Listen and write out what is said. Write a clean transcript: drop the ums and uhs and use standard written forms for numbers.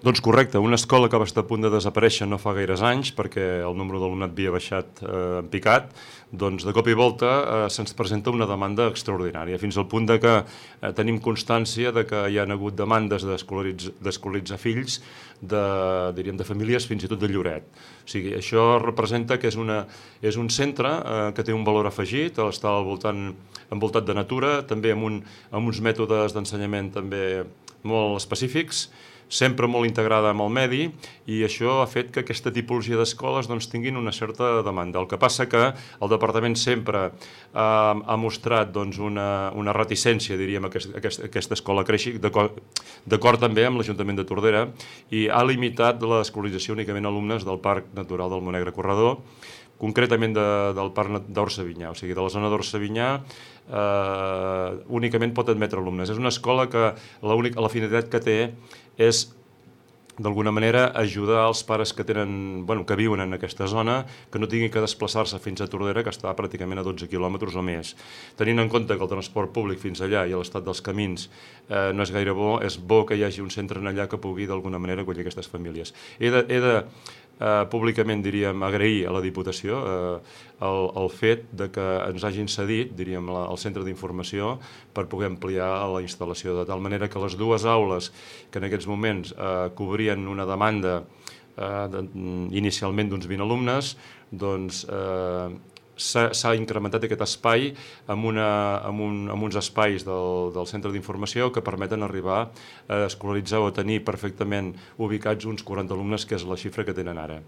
Doncs correcte, una escola que va estar a punt de desaparèixer no fa gaires anys perquè el número d'alumnat havia baixat en picat, doncs de cop i volta se'ns presenta una demanda extraordinària, fins al punt de que tenim constància de que hi ha hagut demandes d'escolaritzar fills diríem, de famílies fins i tot de Lloret. O sigui, això representa que és un centre que té un valor afegit, està envoltat de natura, també amb uns mètodes d'ensenyament també molt específics, sempre molt integrada amb el medi, i això ha fet que aquesta tipologia d'escoles tinguin una certa demanda. El que passa que el departament sempre ha mostrat una reticència, diríem, a aquesta escola creixi, d'acord també amb l'Ajuntament de Tordera, i ha limitat l'escolarització únicament a alumnes del Parc Natural del Montnegre Corredor, concretament del Parc d'Orcevinyà, o sigui, de la zona d'Orcevinyà únicament pot admetre alumnes. És una escola que la finalitat que té és, d'alguna manera, ajudar els pares que viuen en aquesta zona, que no tinguin que desplaçar-se fins a Tordera, que està pràcticament a 12 quilòmetres o més. Tenint en compte que el transport públic fins allà i l'estat dels camins no és gaire bo, és bo que hi hagi un centre allà que pugui, d'alguna manera, acollir aquestes famílies. He de públicament, diríem, agrair a la Diputació el fet que ens hagin cedit, diríem, el centre d'informació per poder ampliar la instal·lació, de tal manera que les dues aules que en aquests moments cobrien una demanda inicialment d'uns 20 alumnes, doncs s'ha incrementat aquest espai amb uns espais del centre d'informació que permeten arribar a escolaritzar o a tenir perfectament ubicats uns 40 alumnes, que és la xifra que tenen ara.